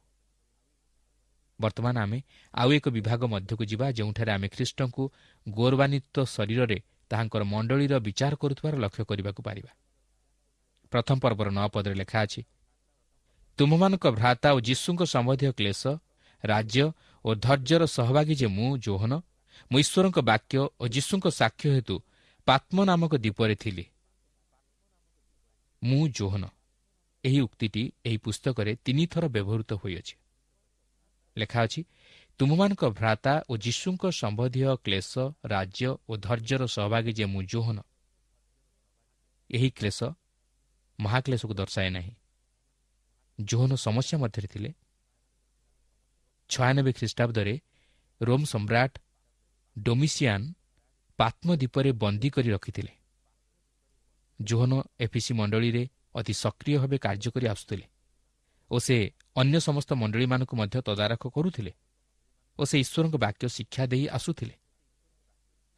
ବର୍ତ୍ତମାନ ଆମେ ଆଉ ଏକ ବିଭାଗ ମଧ୍ୟକୁ ଯିବା, ଯେଉଁଠାରେ ଆମେ ଖ୍ରୀଷ୍ଟଙ୍କୁ ଗୌରବାନ୍ୱିତ ଶରୀରରେ ତାହାଙ୍କର ମଣ୍ଡଳୀର ବିଚାର କରୁଥିବାର ଲକ୍ଷ୍ୟ କରିବାକୁ ପାରିବା। ପ୍ରଥମ ପର୍ବର ନଅ ପଦରେ ଲେଖା ଅଛି, ତୁମ୍ଭମାନଙ୍କ ଭ୍ରାତା ଓ ଯୀଶୁଙ୍କ ସମ୍ବନ୍ଧୀୟ କ୍ଲେଶ, ରାଜ୍ୟ ଓ ଧୈର୍ଯ୍ୟର ସହଭାଗୀ ଯେ ମୁଁ ଯୋହନ, ମୁଁ ଈଶ୍ୱରଙ୍କ ବାକ୍ୟ ଓ ଯୀଶୁଙ୍କ ସାକ୍ଷ୍ୟ ହେତୁ ପାତ୍ମ ନାମକ ଦ୍ୱୀପରେ ଥିଲି। ମୁଁ ଯୋହନ, ଏହି ଉକ୍ତିଟି ଏହି ପୁସ୍ତକରେ ତିନିଥର ବ୍ୟବହୃତ ହୋଇଅଛି। ଲେଖା ଅଛି, ତୁମ୍ଭମାନଙ୍କ ଭ୍ରାତା ଓ ଯୀଶୁଙ୍କ ସମ୍ବନ୍ଧୀୟ କ୍ଲେଶ, ରାଜ୍ୟ ଓ ଧୈର୍ଯ୍ୟର ସହଭାଗୀ ଯେ ମୁଁ ଯୋହନ। ଏହି କ୍ଲେଶ ମହାକ୍ଲେଶକୁ ଦର୍ଶାଏ ନାହିଁ। ଯୋହନ ସମସ୍ୟା ମଧ୍ୟରେ ଥିଲେ। ଛୟାନବେ ଖ୍ରୀଷ୍ଟାବ୍ଦରେ ରୋମ୍ ସମ୍ରାଟ ଡୋମିସିଆନ୍ ପାତ୍ମଦ୍ୱୀପରେ ବନ୍ଦୀ କରି ରଖିଥିଲେ। ଯୋହନ ଏଫିସି ମଣ୍ଡଳୀରେ ଅତି ସକ୍ରିୟ ଭାବେ କାର୍ଯ୍ୟ କରି ଆସୁଥିଲେ ଓ ସେ ଅନ୍ୟ ସମସ୍ତ ମଣ୍ଡଳୀମାନଙ୍କୁ ମଧ୍ୟ ତଦାରଖ କରୁଥିଲେ ଓ ସେ ଈଶ୍ୱରଙ୍କ ବାକ୍ୟ ଶିକ୍ଷା ଦେଇ ଆସୁଥିଲେ।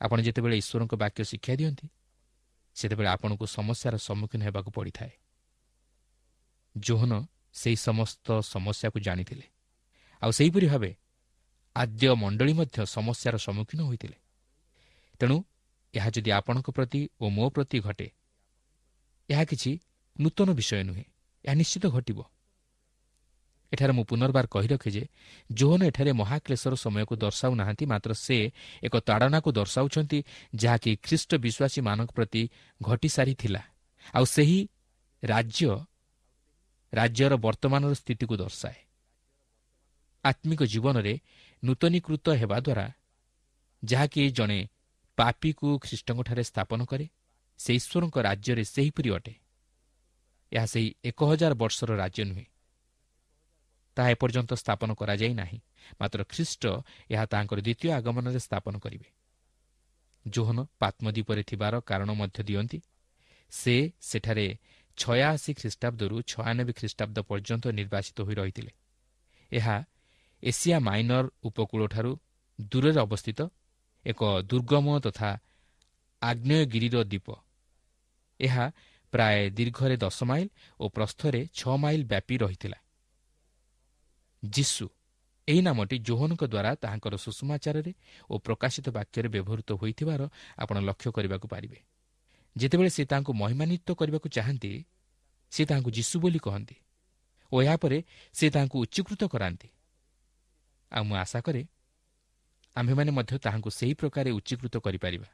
ଆପଣ ଯେତେବେଳେ ଈଶ୍ୱରଙ୍କ ବାକ୍ୟ ଶିକ୍ଷା ଦିଅନ୍ତି, ସେତେବେଳେ ଆପଣଙ୍କୁ ସମସ୍ୟାର ସମ୍ମୁଖୀନ ହେବାକୁ ପଡ଼ିଥାଏ। ଯୋହନ ସେହି ସମସ୍ତ ସମସ୍ୟାକୁ ଜାଣିଥିଲେ, ଆଉ ସେହିପରି ଭାବେ ଆଦ୍ୟ ମଣ୍ଡଳୀ ମଧ୍ୟ ସମସ୍ୟାର ସମ୍ମୁଖୀନ ହୋଇଥିଲେ। ତେଣୁ ଏହା ଯଦି ଆପଣଙ୍କ ପ୍ରତି ଓ ମୋ ପ୍ରତି ଘଟେ, ଏହା କିଛି ନୂତନ ବିଷୟ ନୁହେଁ, ଏହା ନିଶ୍ଚିତ ଘଟିବ। ଏଠାରେ ମୁଁ ପୁନର୍ବାର କହି ରଖେ ଯେ ଯୋହନ ଏଠାରେ ମହାକ୍ଲେଶର ସମୟକୁ ଦର୍ଶାଉନାହାନ୍ତି, ମାତ୍ର ସେ ଏକ ତାଡ଼ନାକୁ ଦର୍ଶାଉଛନ୍ତି ଯାହାକି ଖ୍ରୀଷ୍ଟ ବିଶ୍ୱାସୀମାନଙ୍କ ପ୍ରତି ଘଟିସାରିଥିଲା, ଆଉ ସେହି ରାଜ୍ୟ ରାଜ୍ୟର ବର୍ତ୍ତମାନର ସ୍ଥିତିକୁ ଦର୍ଶାଏ। ଆତ୍ମିକ ଜୀବନରେ ନୂତନୀକୃତ ହେବା ଦ୍ୱାରା ଯାହାକି ଜଣେ ପାପୀକୁ ଖ୍ରୀଷ୍ଟଙ୍କଠାରେ ସ୍ଥାପନ କରେ, ସେ ଈଶ୍ୱରଙ୍କ ରାଜ୍ୟରେ ସେହିପରି ଅଟେ। ଏହା ସେହି ଏକ ହଜାର ବର୍ଷର ରାଜ୍ୟ ନୁହେଁ, ତାହା ଏପର୍ଯ୍ୟନ୍ତ ସ୍ଥାପନ କରାଯାଇ ନାହିଁ, ମାତ୍ର ଖ୍ରୀଷ୍ଟ ଏହା ତାହାଙ୍କର ଦ୍ୱିତୀୟ ଆଗମନରେ ସ୍ଥାପନ କରିବେ। ଯୋହନ ପାତ୍ମଦ୍ୱୀପରେ ଥିବାର କାରଣ ମଧ୍ୟ ଦିଅନ୍ତି। ସେ ସେଠାରେ ଛୟାଅଶୀ ଖ୍ରୀଷ୍ଟାବ୍ଦରୁ ଛୟାନବେ ଖ୍ରୀଷ୍ଟାବ୍ଦ ପର୍ଯ୍ୟନ୍ତ ନିର୍ବାସିତ ହୋଇ ରହିଥିଲେ। ଏହା ଏସିଆ ମାଇନର ଉପକୂଳଠାରୁ ଦୂରରେ ଅବସ୍ଥିତ ଏକ ଦୁର୍ଗମ ତଥା ଆଗ୍ନେୟଗିରିର ଦ୍ୱୀପ। ଏହା ପ୍ରାୟ ଦୀର୍ଘରେ ଦଶ ମାଇଲ ଓ ପ୍ରସ୍ଥରେ ଛଅ ମାଇଲ ବ୍ୟାପି ରହିଥିଲା। ଯୀଶୁ ଏହି ନାମଟି ଯୋହନଙ୍କ ଦ୍ୱାରା ତାହାଙ୍କର ସୁସମାଚାରରେ ଓ ପ୍ରକାଶିତ ବାକ୍ୟରେ ବ୍ୟବହୃତ ହୋଇଥିବାର ଆପଣ ଲକ୍ଷ୍ୟ କରିବାକୁ ପାରିବେ। ଯେତେବେଳେ ସେ ତାହାଙ୍କୁ ମହିମାନ୍ୱିତ କରିବାକୁ ଚାହାନ୍ତି, ସେ ତାହାଙ୍କୁ ଯୀଶୁ ବୋଲି କହନ୍ତି ଓ ଏହାପରେ ସେ ତାହାଙ୍କୁ ଉଚ୍ଚୀକୃତ କରାନ୍ତି। ଆଉ ମୁଁ ଆଶା କରେ ଆମ୍ଭେମାନେ ମଧ୍ୟ ତାହାଙ୍କୁ ସେହି ପ୍ରକାରେ ଉଚ୍ଚୀକୃତ କରିପାରିବା।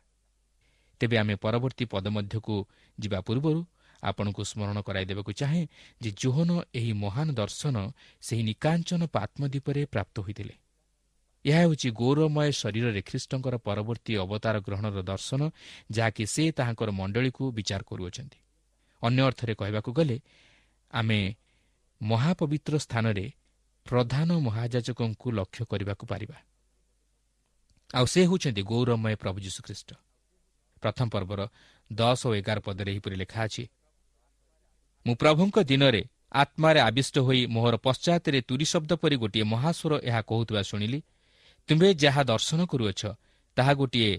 ତେବେ ଆମେ ପରବର୍ତ୍ତୀ ପଦ ମଧ୍ୟକୁ ଯିବା ପୂର୍ବରୁ ଆପଣଙ୍କୁ ସ୍ମରଣ କରାଇଦେବାକୁ ଚାହେଁ ଯେ ଯୋହନ ଏହି ମହାନ ଦର୍ଶନ ସେହି ନିକାଞ୍ଚନ ପାତ୍ମଦ୍ୱୀପରେ ପ୍ରାପ୍ତ ହୋଇଥିଲେ। ଏହା ହେଉଛି ଗୌରବମୟ ଶରୀରରେ ଖ୍ରୀଷ୍ଟଙ୍କର ପରବର୍ତ୍ତୀ ଅବତାର ଗ୍ରହଣର ଦର୍ଶନ, ଯାହାକି ସେ ତାହାଙ୍କର ମଣ୍ଡଳୀକୁ ବିଚାର କରୁଅଛନ୍ତି। ଅନ୍ୟ ଅର୍ଥରେ କହିବାକୁ ଗଲେ ଆମେ ମହାପବିତ୍ର ସ୍ଥାନରେ ପ୍ରଧାନ ମହାଯାଜକଙ୍କୁ ଲକ୍ଷ୍ୟ କରିବାକୁ ପାରିବା, ଆଉ ସେ ହେଉଛନ୍ତି ଗୌରବମୟ ପ୍ରଭୁ ଯୀଶୁଖ୍ରୀଷ୍ଟ। ପ୍ରଥମ ପର୍ବର ଦଶ ଓ ଏଗାର ପଦରେ ଏହିପରି ଲେଖା ଅଛି, ମୁଁ ପ୍ରଭୁଙ୍କ ଦିନରେ ଆତ୍ମାରେ ଆବିଷ୍ଟ ହୋଇ ମୋହର ପଶ୍ଚାତରେ ତୁରୀ ଶବ୍ଦ ପରି ଗୋଟିଏ ମହାସ୍ୱର ଏହା କହୁଥିବା ଶୁଣିଲି, ତୁମ୍ଭେ ଯାହା ଦର୍ଶନ କରୁଅଛ ତାହା ଗୋଟିଏ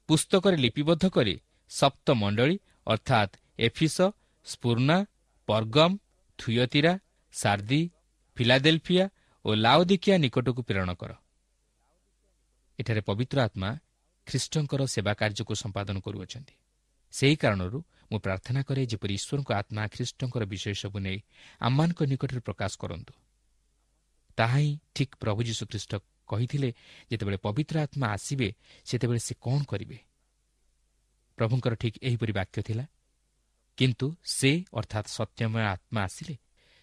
ପୁସ୍ତକରେ ଲିପିବଦ୍ଧ କରି ସପ୍ତ ମଣ୍ଡଳୀ ଅର୍ଥାତ୍ ଏଫିସ, ସ୍ପୁର୍ଣ୍ଣା, ପର୍ଗମ୍, ଥୁୟତିରା, ସାର୍ଦି, ଫିଲାଡେଲଫିଆ ଓ ଲାଓଦିକିଆ ନିକଟକୁ ପ୍ରେରଣ କର। ଏଠାରେ ପବିତ୍ର ଆତ୍ମା ଖ୍ରୀଷ୍ଟଙ୍କର ସେବା କାର୍ଯ୍ୟକୁ ସମ୍ପାଦନ କରୁଅଛନ୍ତି। ସେହି କାରଣରୁ ମୁଁ ପ୍ରାର୍ଥନା କରେ ଯେପରି ଈଶ୍ୱରଙ୍କ ଆତ୍ମା ଖ୍ରୀଷ୍ଟଙ୍କର ବିଷୟ ସବୁ ନେଇ ଆମମାନଙ୍କ ନିକଟରେ ପ୍ରକାଶ କରନ୍ତୁ। ତାହା ହିଁ ଠିକ୍ ପ୍ରଭୁ ଯୀଶୁଖ୍ରୀଷ୍ଟ କହିଥିଲେ, ଯେତେବେଳେ ପବିତ୍ର ଆତ୍ମା ଆସିବେ ସେତେବେଳେ ସେ କ'ଣ କରିବେ। ପ୍ରଭୁଙ୍କର ଠିକ୍ ଏହିପରି ବାକ୍ୟ ଥିଲା, କିନ୍ତୁ ସେ ଅର୍ଥାତ୍ ସତ୍ୟମୟ ଆତ୍ମା ଆସିଲେ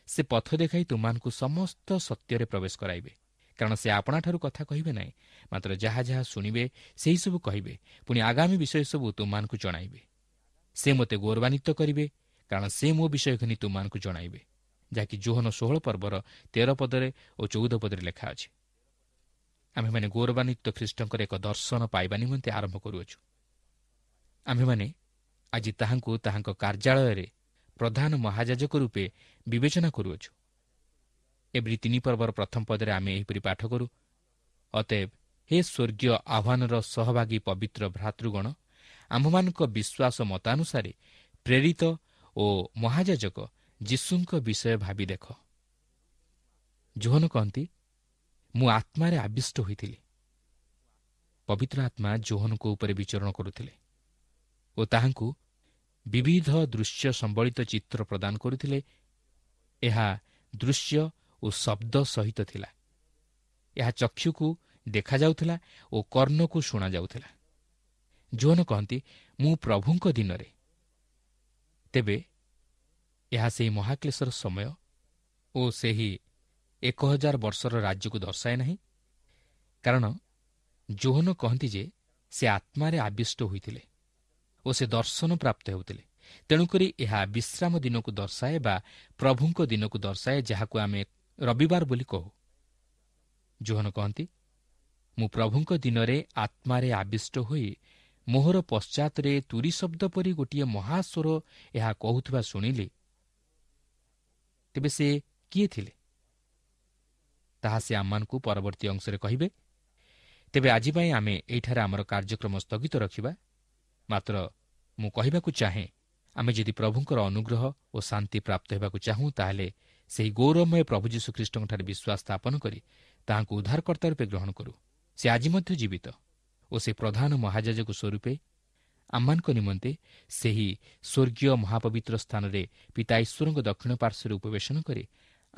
ସେ ପଥ ଦେଖାଇ ତୁମମାନଙ୍କୁ ସମସ୍ତ ସତ୍ୟରେ ପ୍ରବେଶ କରାଇବେ, କାରଣ ସେ ଆପଣାଠାରୁ କଥା କହିବେ ନାହିଁ, ମାତ୍ର ଯାହା ଯାହା ଶୁଣିବେ ସେହିସବୁ କହିବେ, ପୁଣି ଆଗାମୀ ବିଷୟ ସବୁ ତୁମମାନଙ୍କୁ ଜଣାଇବେ। ସେ ମୋତେ ଗୌରବାନ୍ୱିତ କରିବେ, କାରଣ ସେ ମୋ ବିଷୟ ଘେନି ତୁମମାନଙ୍କୁ ଜଣାଇବେ, ଯାହାକି ଯୋହନ ଷୋହଳ ପର୍ବର ତେର ପଦରେ ଓ ଚଉଦ ପଦରେ ଲେଖା ଅଛି। ଆମ୍ଭେମାନେ ଗୌରବାନ୍ୱିତ ଖ୍ରୀଷ୍ଟଙ୍କର ଏକ ଦର୍ଶନ ପାଇବା ନିମନ୍ତେ ଆରମ୍ଭ କରୁଅଛୁ। ଆମ୍ଭେମାନେ ଆଜି ତାହାଙ୍କୁ ତାହାଙ୍କ କାର୍ଯ୍ୟାଳୟରେ ପ୍ରଧାନ ମହାଯାଜକ ରୂପେ ବିବେଚନା କରୁଅଛୁ। ଏବ୍ରୀ ତିନି ପର୍ବର ପ୍ରଥମ ପଦରେ ଆମେ ଏହିପରି ପାଠ କରୁ, ଅତଏବ ହେ ସ୍ୱର୍ଗୀୟ ଆହ୍ୱାନର ସହଭାଗୀ ପବିତ୍ର ଭ୍ରାତୃଗଣ, ଆମ୍ଭମାନଙ୍କ ବିଶ୍ୱାସ ମତାନୁସାରେ ପ୍ରେରିତ ଓ ମହାଯାଜକ ଯୀଶୁଙ୍କ ବିଷୟ ଭାବି ଦେଖ। ଯୋହନ କହନ୍ତି, ମୁଁ ଆତ୍ମାରେ ଆବିଷ୍ଟ ହୋଇଥିଲି। ପବିତ୍ର ଆତ୍ମା ଯୋହନଙ୍କ ଉପରେ ବିଚରଣ କରୁଥିଲେ ଓ ତାହାଙ୍କୁ ବିବିଧ ଦୃଶ୍ୟ ସମ୍ବଳିତ ଚିତ୍ର ପ୍ରଦାନ କରୁଥିଲେ। ଏହା ଦୃଶ୍ୟ ଓ ଶବ୍ଦ ସହିତ ଥିଲା। ଏହା ଚକ୍ଷୁକୁ ଦେଖାଯାଉଥିଲା ଓ କର୍ଣ୍ଣକୁ ଶୁଣାଯାଉଥିଲା। ଯୋହନ କହନ୍ତି, ମୁଁ ପ୍ରଭୁଙ୍କ ଦିନରେ। ତେବେ ଏହା ସେହି ମହାକ୍ଲେଶର ସମୟ ଓ ସେହି ଏକ ହଜାର ବର୍ଷର ରାଜ୍ୟକୁ ଦର୍ଶାଏ ନାହିଁ, କାରଣ ଯୋହନ କହନ୍ତି ଯେ ସେ ଆତ୍ମାରେ ଆବିଷ୍ଟ ହୋଇଥିଲେ ଓ ସେ ଦର୍ଶନ ପ୍ରାପ୍ତ ହେଉଥିଲେ। ତେଣୁକରି ଏହା ବିଶ୍ରାମ ଦିନକୁ ଦର୍ଶାଏ ବା ପ୍ରଭୁଙ୍କ ଦିନକୁ ଦର୍ଶାଏ, ଯାହାକୁ ଆମେ ରବିବାର ବୋଲି କହୁ। ଯୋହନ କହନ୍ତି, ମୁଁ ପ୍ରଭୁଙ୍କ ଦିନରେ ଆତ୍ମାରେ ଆବିଷ୍ଟ ହୋଇ ମୋହର ପଶ୍ଚାତରେ ତୁରୀ ଶବ୍ଦ ପରି ଗୋଟିଏ ମହାସ୍ୱର ଏହା କହୁଥିବା ଶୁଣିଲି। ତେବେ ସେ କିଏ ଥିଲେ ତାହା ସେ ଆମମାନଙ୍କୁ ପରବର୍ତ୍ତୀ ଅଂଶରେ କହିବେ। ତେବେ ଆଜି ପାଇଁ ଆମେ ଏଇଠାରେ ଆମର କାର୍ଯ୍ୟକ୍ରମ ସ୍ଥଗିତ ରଖିବା। ମାତ୍ର ମୁଁ କହିବାକୁ ଚାହେଁ, ଆମେ ଯଦି ପ୍ରଭୁଙ୍କର ଅନୁଗ୍ରହ ଓ ଶାନ୍ତି ପ୍ରାପ୍ତ ହେବାକୁ ଚାହୁଁ, ତାହେଲେ ସେହି ଗୌରବମୟ ପ୍ରଭୁ ଯୀଶୁଖ୍ରୀଷ୍ଟଙ୍କଠାରେ ବିଶ୍ୱାସ ସ୍ଥାପନ କରି ତାହାଙ୍କୁ ଉଦ୍ଧାରକର୍ତ୍ତା ରୂପେ ଗ୍ରହଣ କରୁ। ସେ ଆଜି ମଧ୍ୟ ଜୀବିତ ଓ ସେ ପ୍ରଧାନ ମହାଯାଜକ ସ୍ୱରୂପେ ଆମମାନଙ୍କ ନିମନ୍ତେ ସେହି ସ୍ୱର୍ଗୀୟ ମହାପବିତ୍ର ସ୍ଥାନରେ ପିତା ଈଶ୍ୱରଙ୍କ ଦକ୍ଷିଣ ପାର୍ଶ୍ୱରେ ଉପବେଶନ କରି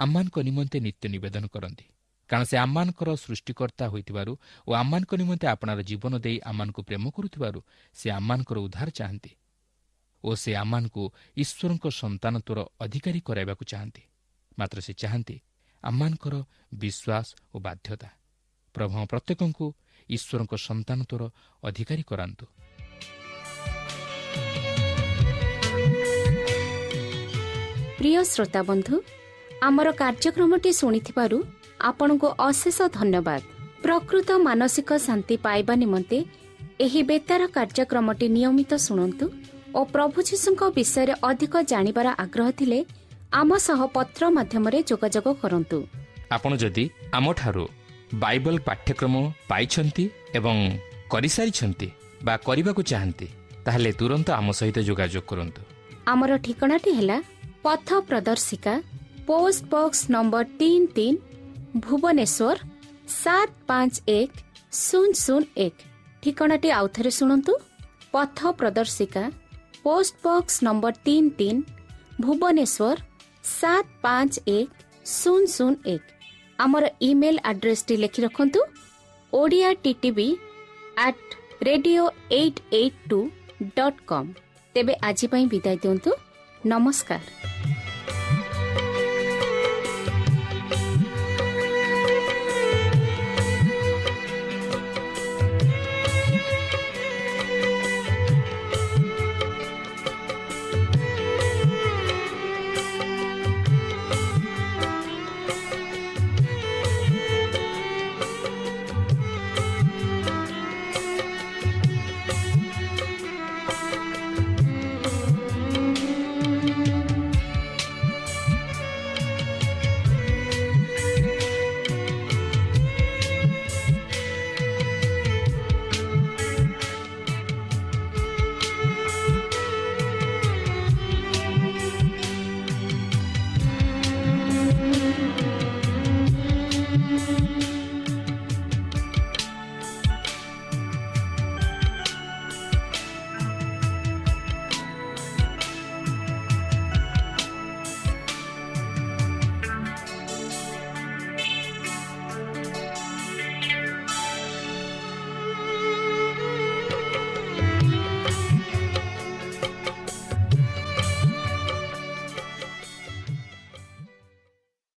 ଆମମାନଙ୍କ ନିମନ୍ତେ ନିତ୍ୟ ନିବେଦନ କରନ୍ତି। କାରଣ ସେ ଆମମାନଙ୍କର ସୃଷ୍ଟିକର୍ତ୍ତା ହୋଇଥିବାରୁ ଓ ଆମମାନଙ୍କ ନିମନ୍ତେ ଆପଣାର ଜୀବନ ଦେଇ ଆମମାନଙ୍କୁ ପ୍ରେମ କରୁଥିବାରୁ ସେ ଆମମାନଙ୍କର ଉଦ୍ଧାର ଚାହାନ୍ତି ଓ ସେ ଆମମାନଙ୍କୁ ଈଶ୍ୱରଙ୍କ ସନ୍ତାନତ୍ୱର ଅଧିକାରୀ କରାଇବାକୁ ଚାହାନ୍ତି। ମାତ୍ର ସେ ଚାହାନ୍ତି ଆମମାନଙ୍କର ବିଶ୍ୱାସ ଓ ବାଧ୍ୟତା। ପ୍ରଭୁ ପ୍ରତ୍ୟେକଙ୍କୁ ଈଶ୍ୱରଙ୍କ ସନ୍ତାନତ୍ୱର ଅଧିକାରୀ କରାନ୍ତୁ। ପ୍ରିୟ ଶ୍ରୋତାବନ୍ଧୁ, ଆମର କାର୍ଯ୍ୟକ୍ରମଟି ଶୁଣିଥିବାରୁ ଆପଣଙ୍କୁ ଅଶେଷ ଧନ୍ୟବାଦ। ପ୍ରକୃତ ମାନସିକ ଶାନ୍ତି ପାଇବା ନିମନ୍ତେ ଏହି ବେତାର କାର୍ଯ୍ୟକ୍ରମଟି ନିୟମିତ ଶୁଣନ୍ତୁ ଓ ପ୍ରଭୁ ଯୀଶୁଙ୍କ ବିଷୟରେ ଅଧିକ ଜାଣିବାର ଆଗ୍ରହ ଥିଲେ ଆମ ସହ ପତ୍ର ମାଧ୍ୟମରେ ଯୋଗାଯୋଗ କରନ୍ତୁ। ଆପଣ ଯଦି ଆମଠାରୁ ବାଇବଲ ପାଠ୍ୟକ୍ରମ ପାଇଛନ୍ତି ଏବଂ କରିସାରିଛନ୍ତି ବା କରିବାକୁ ଚାହାନ୍ତି, ତାହେଲେ ତୁରନ୍ତ ଆମ ସହିତ ଯୋଗାଯୋଗ କରନ୍ତୁ। ଆମର ଠିକଣାଟି ହେଲା ପଥ ପ୍ରଦର୍ଶିକା, ପୋଷ୍ଟ ବକ୍ସ ନମ୍ବର ତିନି ତିନି, ଭୁବନେଶ୍ୱର ସାତ ପାଞ୍ଚ ଏକ ଶୂନ ଶୂନ ଏକ। ଠିକଣାଟି ଆଉଥରେ ଶୁଣନ୍ତୁ, ପଥ ପ୍ରଦର୍ଶିକା, ପୋଷ୍ଟ ବକ୍ସ ନମ୍ବର ତିନି ତିନି, ଭୁବନେଶ୍ୱର ସାତ ପାଞ୍ଚ ଏକ ଶୂନ ଶୂନ ଏକ। ଆମର ଇମେଲ୍ ଆଡ୍ରେସ୍ଟି ଲେଖି ରଖନ୍ତୁ, Odia TTV at radio eight eight two dot com. ତେବେ ଆଜି ପାଇଁ ବିଦାୟ ଦିଅନ୍ତୁ, ନମସ୍କାର।